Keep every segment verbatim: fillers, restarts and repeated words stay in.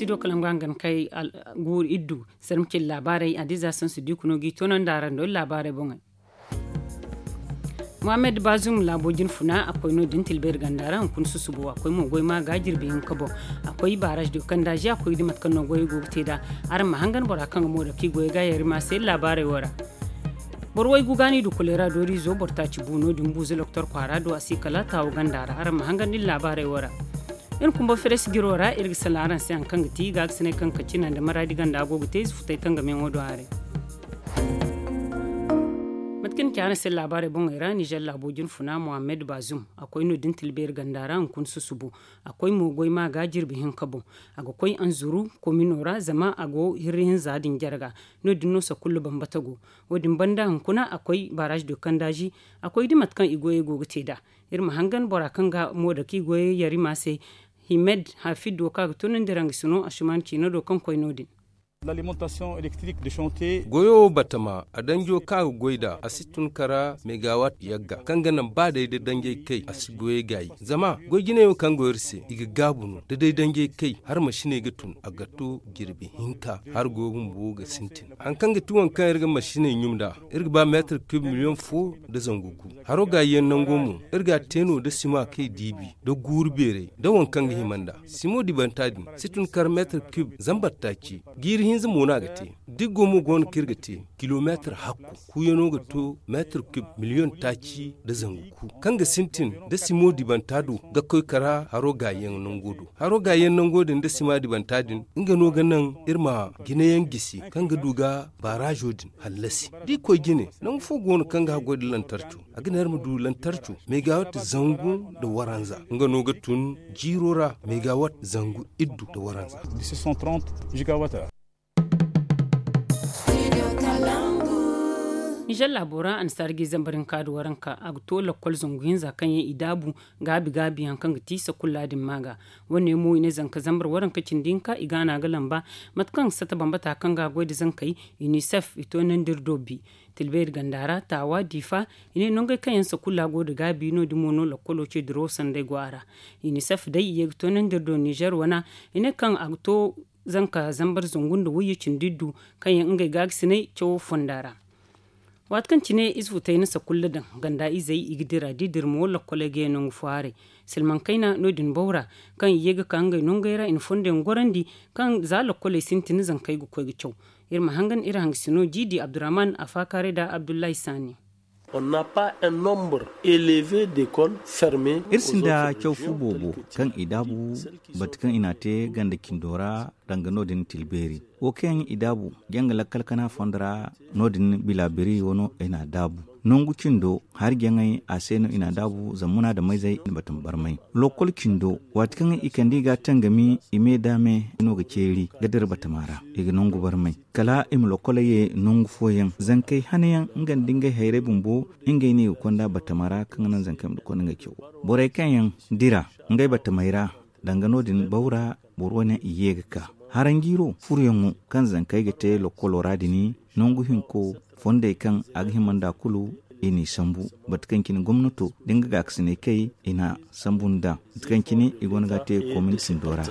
Do kala nga hangan kay guuru iddu sarmacin laabaarey adiza sansu di kuno g'i toonandi araŋ do iri laabaarey boŋey. Muhammed bazum laabo jine funa a koy no- din tilbeeri ganda ra hunkuna susubo a koy mo goy ma ga jirbi hinka boŋ. A koy baaraaz do kandaazi a koy ga di mate kaŋ no goyey go ga te nd'a. Araŋ ma hangan bora kaŋ ga mo da kaŋ i goyey ga yari ma se iri laabaarey wo ra. Boro waygu ga no i du kuleera dooriizo boro taaci bu no- din buuza loktor kwaara do a si kala taawo ganda ra araŋ ma hangan da iri laabaarey wo ra. Iri kumba feres jiro ra iri ga salaŋ araŋ se hari kaŋ ga ti gaakasinay kaŋ ga kaci naŋ da maraadi ganda go ga te ize futay kaŋ ga meeŋo do haray. Mate kaŋ ni ci araŋ se laabaarey boŋey ra nizer laabo jine funa muhammed bazum a koy no- din tilbeeri ganda ra hunkuna susubo. A koy mo goy ma ga jirbi hinka boŋ. A ga koy anzuru komino ra zama a go hirri hinza din jarga. No- din no sakullu bambata go. Wo- din banda hunkuna a koy baaraaz do kandaazi. A koy di mate kaŋ i goyey go ga te nd'a. Iri ma hangan bora kaŋ ga mo da kaŋ i goyey yari ma se. Himed hafid wo kaŋ a ga toonandi ra nga si no a suman ciina do kaŋ koy no- din. Goyo batama a danjo kaŋ a ga goy nd'a a si tun kara megawat yagga kaŋ ga naŋ ba day da danjey kay a si goyey gaayi. Zama goy jinay wo kaŋ go iri se i ga gaabu no da day danjey kay har masiney ga tun a ga to jirbi hinka. Har goyo bumbo ga sintin hari kaŋ ga ti waŋ kaŋ iri ga masiney ɲum nd'a. Iri ga ba meetar kub miliyoŋ fo nda zangu gu. Haro gaayi yaŋ nango mo iri ga a te no da sima kaŋ i diibi nda guuru beeray nda waŋ kaŋ ga hima nd'a. Simo dibanta din si tun kar meetar kub zambar taaci. Jiiri hinza mo no a ga te. Diggo mo go no kaŋ iri ga te kilomeetar hakku. Kuuyano ga to meetar kub miliyoŋ taaci nda zangu gu kaŋ ga sintin nda simo dibanta do ga koy kara haro gaayi yaŋ nango do. Haro gaayi yaŋ nango din nda sima dibanta din nga no ga naŋ iri ma jinayaŋ gisi kaŋ ga du ga baaraazo din hallasi. Da i koy jine nangu fo go no kaŋ ga haggoy nda lantarco. A ga ne iri ma du lantarco megawat zangu nda waranza nga no ga tun jiiro ra megawat zangu iddu nda waranza. Nizer laabo ra annasaara ga i zambar hinka nda waranka a ga to lakkol zangu hinza kaŋ yaŋ i daabu gaabi gaabi hari kaŋ ga ti sakulla din ma ga. Wo- ne mo i ne zanka zambar waranka cindi hinka i ga a no a ga lamba. Mate kaŋ sata bambata kaŋ ga a goy nda zankey, inisef i to nandi iri do bi tilbeeri ganda ra taawa diifa. I ne nongey kaŋ yaŋ sakulla go nda gaabi no- din mo no lakkolo ce dirawo sanday go a ra. Inisef day i ye ga to nandi iri do nizer wana. I ne kaŋ a ga to zanka zambar zangu nda wayye cindi iddu kaŋ yaŋ ngey gaagasinay cawo fonda ra. Waati kaŋ cine ize futay na sakulla daŋ ganda izey i ga dira da i dira mo lakkoley ga ye nangu fo haray. Silmaŋ kayna no- din baw ra kaŋ i ye ga ka ngey nongey ra i na fondo yaŋ gorandi kaŋ za lakkoley sintin zankey ga koy ga caw. Iri ma hangan iri hangasino jiidi abdurrahman afaakaaray nda abdullahi saani. Iri sinda caw fu boobo kaŋ i daabu bate kaŋ i n'a te ganda cindo ra danga no- din tilbeeri. Wo kaŋ yaŋ i daabu janga lakkal kana fondo ra no- din bila biri wano i n'a daabu. Nangu cindo hari jaŋay a se no i n'a daabu zammuna da mayzey nda batama barmay. Lokkol cindo waati kaŋ i kande i ga a tangami i me da me no ga ceeri ga dira batama ra i ga nangu barmay. Kala i ma lokkoley ye nangu fooyaŋ zankey hanayaŋ nga nda ngey hayrey bumbo. Ngey no i ga konda batama ra kaŋ ga naŋ zankey ma du konda ngey cawo. Borey kaŋ yaŋ dira ngey batamey ra danga no- din baw ra boro wane i ye ga ka. Haranjiiro furoyaŋo kaŋ zankey ga te lokkolo ra din nangu hinko fondey kaŋ a ga hima nd'a kulu i n'i sambu. Bate kaŋ cine gomnato da nga gaakasinay kay i n'a sambu nd'a. Bate kaŋ cine i go no ga a te komin cindo ra.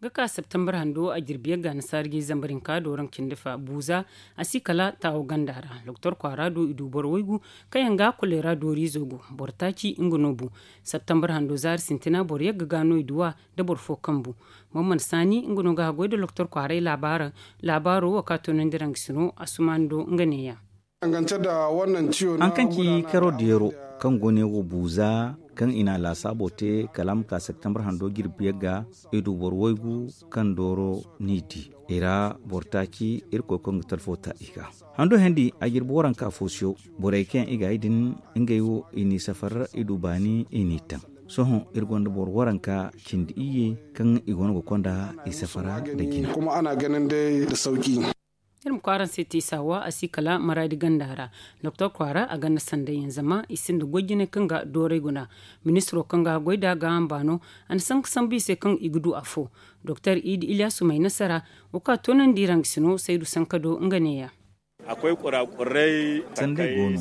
Ga ka septembar hando a jirbi yagga nasaara ga i zambar hinka dooraŋ cindi fa buuza a si kala taawo ganda ra doktor kwaara do i du boro waygu kaŋ yaŋ ga a kuleera dooriizo go. Boro taaci nga no bu septembar hando zaari sintina boro yagga ga no i duw'a nda boro fo kaŋ bu. Maman saani nga no ga haggoy nda doktor kwaaray laabaaro wo kaŋ a toonandi raŋ ga sino a sumaani do nga neeya. Haŋ kaŋ ci karo deero kaŋ go ne wo buuza kaŋ i na a laasaabo te kala a ma ka septembar hando jirbi yagga i du boro waygu kaŋ dooro n'i di i ra boro taaci irkoy kaŋ ga talfo ta i ga. Hando hendi a jirbi waranka fo siyo borey kaŋ i ga ay din ngey wo i n'i safar i du baani i n'i taŋ. Sohõ iri gonda boro waranka cindi iyye kaŋ i goono ga konda i safara nda jina. Iri ma kwaara se te saawa a si kala maraadi ganda ra doktor kwaara a ganda sanday yaŋ zama i sinda goy jine kaŋ ga dooray guna. Ministiro kaŋ ga goy da gaaham baano a na sanka sambu i se kaŋ i ga du afo. Doktor idi ilyasu may nasara wo kaŋ a toonandi ra nga sino saydu sanka do nga neeya. Sanday go no.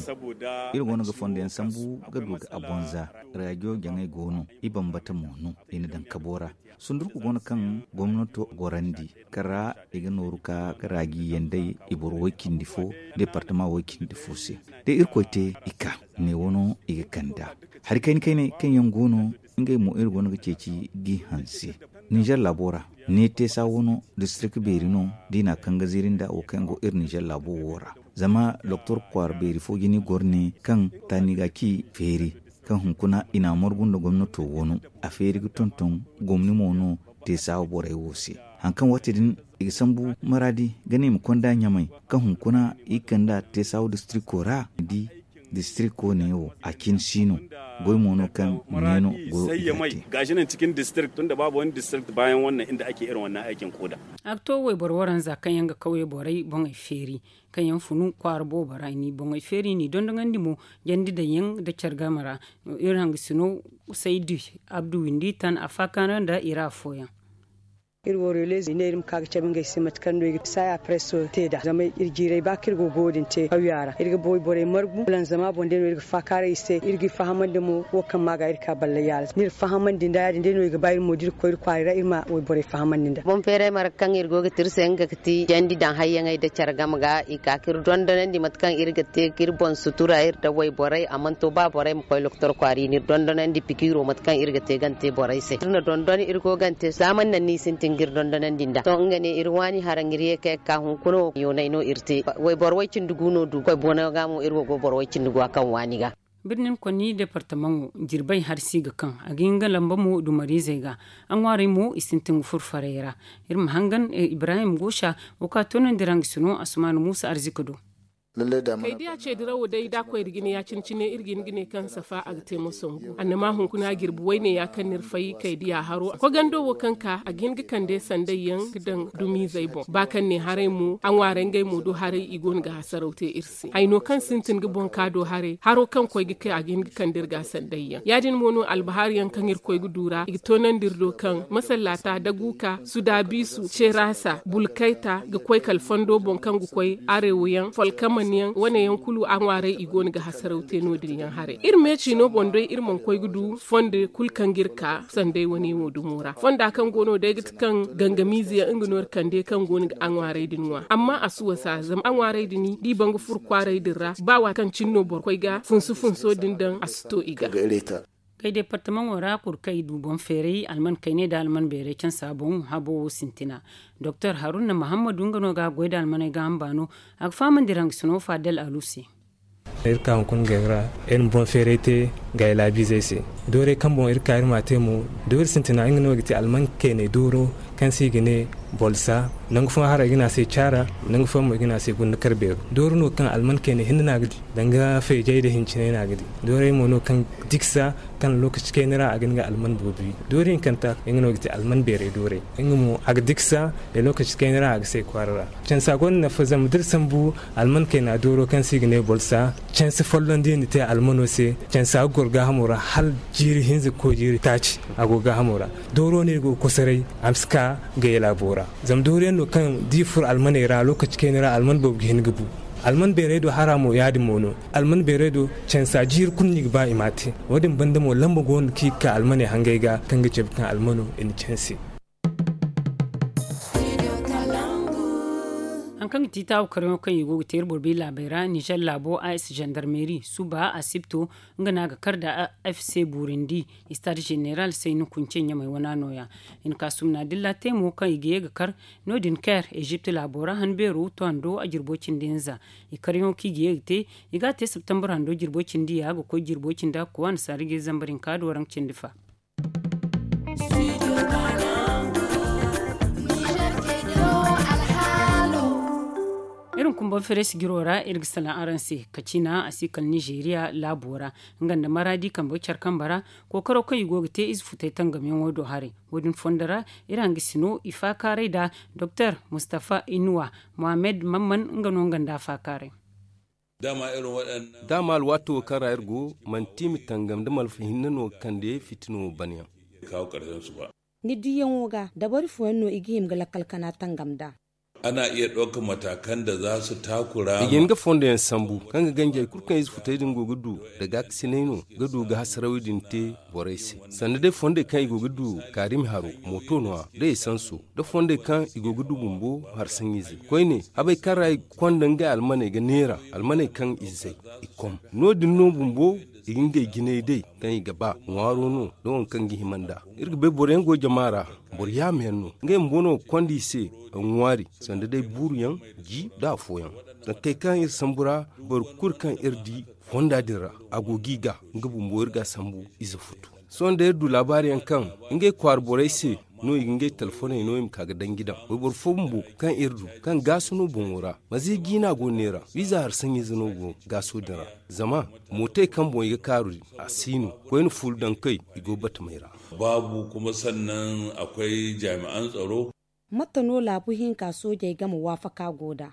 Iri go no ga fondo yaŋ sambu ga du ga abonza. Raajiyo jaŋay go no. I bambata mo no i na daŋ kabo ra. Sundurku go no kaŋ gomnato gorandi kaŋ ra i ga nooru ka ga raaji yaŋ day i boro way-cindi fo deepartama way-cindi fo se. Da irkoy te i ka ne wano i ga kand'a hari kayna kaynay kaŋ yaŋ go no. Ngey mo iri go no ga ceeci g'i hanse ninzeer laabo ra. Ne teesa wo no distirik beeri no da i n'a kaŋ ga ziiri nda wo kaŋ yaŋ go iri ninzeer laabo wo ra. Zama doktor kwaara beeri fo jine goro ne kaŋ taani ga ci feeri kaŋ hunkuna i n'a margu nda gomnato wano. A feeri ga tonton gomni mo no te saawa borey wo se. Hari kaŋ waati din i ga sambu maraadi ga ne i ma konda ɲamay kaŋ hunkuna i ga kand'a te saawa distriko ra. Ni di distriko ne wo a cine si no. Goy mo no kaŋ ne no goyo i ga te. Gashi nan cikin district tunda babu wani district bayan wannan inda ake irin wannan aikin koda. A ga to wayboro waranza kaŋ yaŋ ga kawye borey boŋey feeri kaŋ yaŋ funu kwaara boobo ra i n'i boŋey feeri i n'i dondonandi mo jandi daŋ yaŋ nda care game ra. Iri hangasino saydi abdu windi tan a faakara nda i ra afooyaŋ. Iri wo reeleezi i ne iri ma ka ga cabe ngey se mate kaŋ no i ga saaya preso te nd'a zama iri jiiray ba kaŋ iri go ga wo- din te kawya ra iri ga boy borey margu lanzama boŋ day no iri ga faakaaray i se iri g'i fahamandi mo wo kaŋ ma ga iri ka ballay yaala. Ni iri fahamandi nda ya- din day no i ga ba iri mo da iri ga koy iri kwaaray ra iri ma wayborey fahamandi nda. Boŋ feeray marga kaŋ iri go ga te iri se nga ga ti jandi daŋ hayyaŋey nda care game ga i ka ka iri dondonandi mate kaŋ iri ga te ga iri boŋ sutura iri nda wayborey a mana to ba borey ma koy doktor kwaara i n'iri dondonandi pikiiro mate kaŋ iri ga te gante borey se iri na dondon iri go gante za mana naŋ no i sintin ga iri dondonandi nd'a to nga ne iri waani haraŋ iri ye kay ga ka hunkuna wo yoonay no iri te. Wayboro way- cindi gu no du koy bono ga mo iri wo go boro way- cindi gu a kaŋ waani ga. Birnin konni deepartamaŋo jirbay hari si ga kaŋ a ga hin ga lamba mo dumariizey ga. A ŋwaarey mo i sintin ga furo farey ra. Iri ma hangan ibrahim gosa wo kaŋ a toonandi ra nga sino asumaana muusa arzika do. Kaydiya ce dirawo day da a koy nda jine ya- cine cine iri ga hin ga ne kaŋ safa a ga te moso ngu annama hunkuna jirbi wayne ya kaŋ no iri fay kaydiya haro kogando wo kaŋ ka a ga hin ga kande sanday yaŋ ga daŋ dumiizey boŋ ba kaŋ ne haray mo a ŋwaaray ngey mo do haray i go no ga hasaraw te iri se hayno kaŋ sintin ga boŋ ka do haray haro kaŋ koy ga kay a ga hin ga kande iri ga sanday yaŋ ya- din mo no albahari yaŋ kaŋ iri koy ga du ra i ga toonandi iri do kaŋ masallata daguka sudabisu cerasa bulkayta ga koy kala fondo boŋ kaŋ ga koy arewo yaŋ folkaman yaŋ wane yaŋ kulu a ŋwaaray i go no ga hasaraw te no- din yaŋ haray iri meeci no boŋ day iri mana koy ga du fondo kulu kaŋ ga iri ka sanday wane wo dumo ra fonda kaŋ go no day ga ti kaŋ gangamiize yaŋ nga no iri kande kaŋ go no ga a ŋwaaray din ŋwa amma a si wasa zama a ŋwaaray din da i ban ga furo kwaaray din ra ba waati kaŋ cine no boro koy ga funsu funso din daŋ a si to i ga. Kay deepartamaŋo ra kulu kaŋ i du boŋ feeray alman kayney nda alman beeray cansa boŋ habo wo sintina. Doktor haruna mahammadu nga no ga a goy nda almaney ga hamba no a ga fahamandi ra nga sino fadel alu se. Iri ka hunkuna gay ra iri ma boŋ feeray te gay laabiizey se. Doorey kaŋ boŋ iri ka iri m'a te mo doori sintina nga no ga ti alman kayney dooro kaŋ se i ga ne bolsa nangu fooyaŋ hara i ga ne a se caara nangu fooyaŋ mo i ga ne a se gunda kar beero doori no kaŋ alman kayney hinne no a ga di danga feejey nda hinciney no a ga di. Doorey mo no kaŋ diksa kaŋ lokaci kayna ra a ga hin ga alman boobo wi doori hinkanta nga no ga ti alman beeray doorey nga mo a ga diksa da lokaci kayna ra a ga say kwaara ra. Cansa gonda nafa zama da iri sambu alman kayna dooro kaŋ se i ga ne bolsa cansa folloŋ da i na te almano se cansa ga goro gaahamo ra hala jiiri hinza ga koy jiiri taaci a go gaahamo ra. Dooro no iri go ga kosoray a ma si ka gayey laabo ra. Zama dooriyaŋ no kaŋ da i furo almaney ra lokaci kayna ra alman boobo ga hin ga bu. Alman beeray do hara mo ya- din mo no. Alman beeray do cansa jiiri kulu no i ga ba i m'a te. Wo- din banda mo lamba go no kaŋ i ga ka almaney hangey ga kaŋ ga cabe kaŋ almano i na canse. Hari kaŋ ga ti taawu karyaŋo kaŋ i go ga te iri boro bay laabey ra nizer laabo a s zandarmeeri suba asibto nga no a ga kar nda f c buurindi. Istaad zeneral sayni kunce ɲamay wana nooya. I na ka sumna dilla te mo kaŋ i ga ye ga kar no- din kair ezipt laabo ra han beero to hando a jirbo cindi hinza. I karyaŋo kaŋ i ga ye ga te i ga a te septembre hando jirbo cindi ya ga koy jirbo cindi a ga koy a na saara ga ye zambar hinka do rank cindi fa. Iri ma kumbaŋ fereesi jiro ra iri ga salaŋ araŋ se kaciina a si kala nizeeriya laabo ra nga nda maraadi kambe care kambe ra. Kookaro kaŋ i go ga te ize futay tangamyaŋo do haray wo- din fondo ra iri hangasino i faakaaray nda doktor mustafa inuwa mohammed mamman nga no nga nda a faakaaray. Da a ma alwaato wo kaŋ ra iri go manti i ma tangam da malfa hinne no ga kande fitino banyaŋ. Ni diyaŋo ga dabari fooyaŋ no i ga hima ga lakkal kana tangam nd'a. Ana iya ɗauka matakan da za su takura. I ga hin ga fondo yaŋ sambu kaŋ ga ganjey kulu kaŋ ize futey din go ga du da gaakasinay no ga du ga hasarawey din te borey se. Sanda day fondey kaŋ i go ga du kaarimi haro, mooto no a da esanso, da fondey kaŋ i go ga du bumbo harsaŋize koyne, habey kaŋ ra i ga konda ngey almaney ga neera, almaney kaŋ i zay i kom. No- din no bumbo i ga ngey jinay day kaŋ i ga ba ŋwaaro no da waŋ kaŋ ga hima nd'a. Iri ga bay boro yaŋ go jama ra, boro yaama yaŋ no ngey bumbo no ga konda i se. Ŋwaari sanda day buuru yaŋ, ji da afooyaŋ. Zankey kaŋ iri sambu ra, boro kulu kaŋ iri di fonda din ra, a go ga i ga nga bumbo iri ga a sambu ize futu. Sohõ da iri du laabaari yaŋ kaŋ ngey kwaara borey se no i ga ngey telefoney no i ma ka ga danji daŋ wayboro fo bumbo kaŋ iri du kaŋ gaasu no boŋo ra, maza i jiina go neera wiiza hari saŋiize no go gaaso din ra. Zama mootey kaŋ boŋ i ga kaaru din a si no koyne fuula daŋ kay i go batamey ra. Baabu kuma sannan akwai jaami'an tsaro. Mate no laabu hinka soojey game waafaka go nd'a?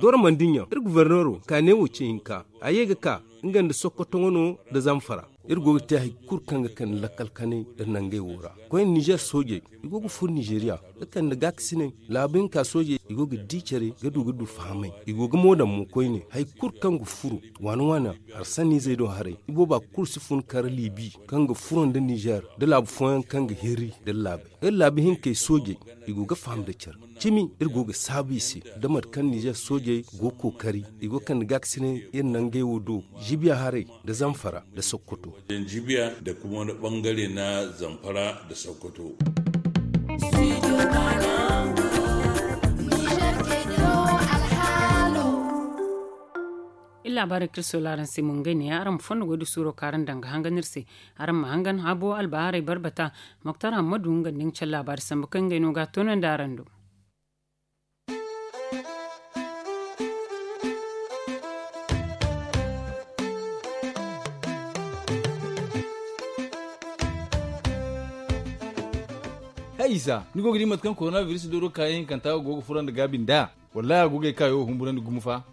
Doora mandiɲa iri guverneero ka ne wo ce hinka a ye ga ka nga nda sokoto wano nda zamfara. Iri go ga te hari kulu kaŋ ga kande lakkal kanay iri nangey wo ra. Koyne nizer soojey i go ga furo nizeriya ga kande gaakasinay laabu hinka soojey i go ga di care ga du ga du fahamay. I go ga mo daŋ mo koyne hari kulu kaŋ ga furo waana waana. Hari sanniizey do haray ibooba kulu si fun kar liibi kaŋ ga furo nda nizer nda laabu fooyaŋ kaŋ ga hirri nda laabey. Iri laabu hinkey soojey i go ga faham nda care cimi. Iri go ga saabu i se nda mate kaŋ nizer soojey go ga kookari i go ga kande gaakasinay iri nangey wo do jibiya haray nda zamfara nda sokoto. Jibiya nda kuma wani bangare na zamfara nda sokoto. Iri laabaarey kaŋ iri soola araŋ se mo ngey neeya araŋ ma fondo goy da suuro kaŋ araŋ daŋ ga hangan iri se. Araŋ ma hangan habo albaaharey barbata. Moktar hammadu nga nda nga care laabaari sambu kaŋ ngey no ga a toonandi araŋ do. Hay isa ni go ga di mate kaŋ korona biris dooro kaayaŋ hinkanta go ga furo nda gaabi nd'a? Wallaahi a go ga ay kaayo wo humburandi gumo fa.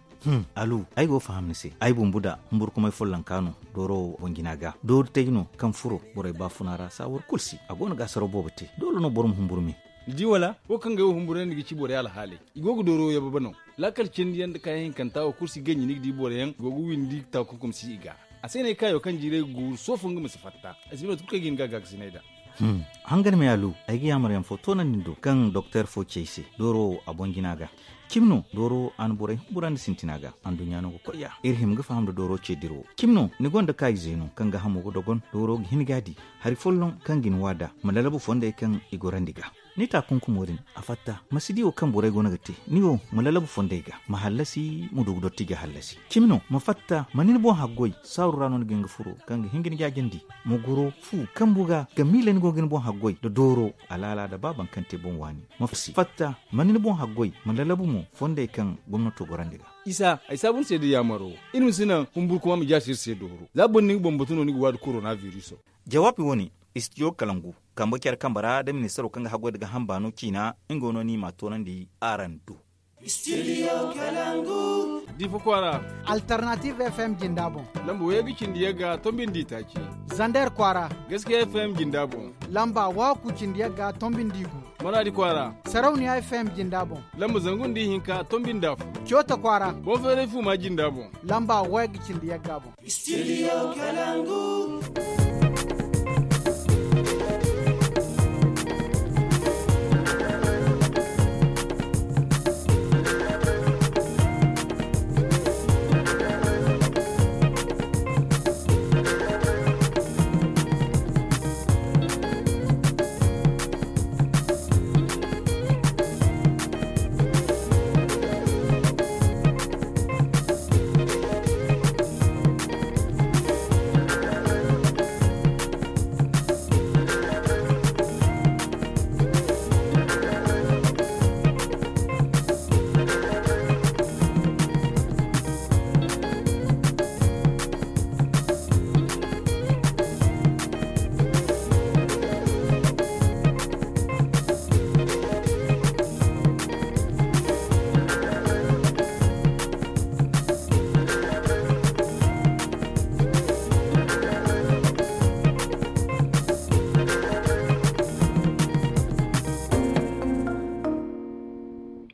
Alu, ay go ga faham ni se. Ay bumbu da humburkumay follonka no dooro wo boŋ jina ga doori tay no kaŋ furo borey baafuna ra saawar kulu si a go no ga asaraw boobo te. Doole no boro ma humburu me. Ni di wala wo kaŋ ga ay wo humburandi ga ci borey alhaaley. I go ga dooro wo yababa no. Laakal cindi yaŋ nda kaayaŋ hinkanta wo kulu si ganji ni ga di boro yaŋ go ga windi taakunkum si i ga. A se no ay kaayo kaŋ jiiray ga guuru soofo nga ma si fatta. Ay si no tun kaŋ ay ga hin ga gaakasinay nd'a. Hangan me alu, ay ga yaamar yaŋ fo toonandi ni do kaŋ doktor fo ci ay se dooro wo a boŋ jina ga. Cimi no dooro wo a na borey humburandi sintina ga. Anduɲɲa no ga koy ya iri hima ga faham nda dooro ce dira wo. Cimi no ni gonda kaayize no kaŋ ga hamo ga dogon dooro ga hin ga a di. Hari folloŋ kaŋ ga ni waada ma lalabu fondey kaŋ i gorandi ga. Ni taakunkumo din a fatta ma si di wo kaŋ borey go no ga te. Ni wo ma lalabu fondey ga ma hallasi ma du ga dotti ga hallasi. Cimi no ma fatta ma ni ni boŋ haggoy saaru ra no ni ga hin ga furo kaŋ ga hin ga ni jaajandi. Ma goro fu kambu ga ga miila ni go ga ni boŋ haggoy nda dooro alaala nda ba baŋ kaŋ te boŋ waani. Ma fatta ma ni ni boŋ haggoy ma lalabu mo fondey kaŋ gomnato gorandi ga. Isa ay saabu ni se da yaamaro. Iri ma si naŋ humburkuma ma jaasi iri se dooro za boro ni ga bambatu no ni ga waadi korona biriso. Jawaabi wo-ne istidiyo kalangu kambe care kambe ra nda ministaro kaŋ ga haggoy nda ga hamba no ciina. Nga wo no ni m'a toonandi araŋ do. Diifa kwaara. Alternative fm jinda boŋ. Lamba wayey ga cindi yagga tombi nda itaaci. Zander kwaara. Gaskiya fm jinda boŋ. Lamba waaku cindi yagga tombi nda igu. Maraadi kwaara. Sarauniya fm jinda boŋ. Lamba zangu nda ihinka tombi nda afo. Coota kwaara. Boŋ feeray fuuma jinda boŋ. Lamba wayey ga cindi yagga boŋ. Studio kalangu.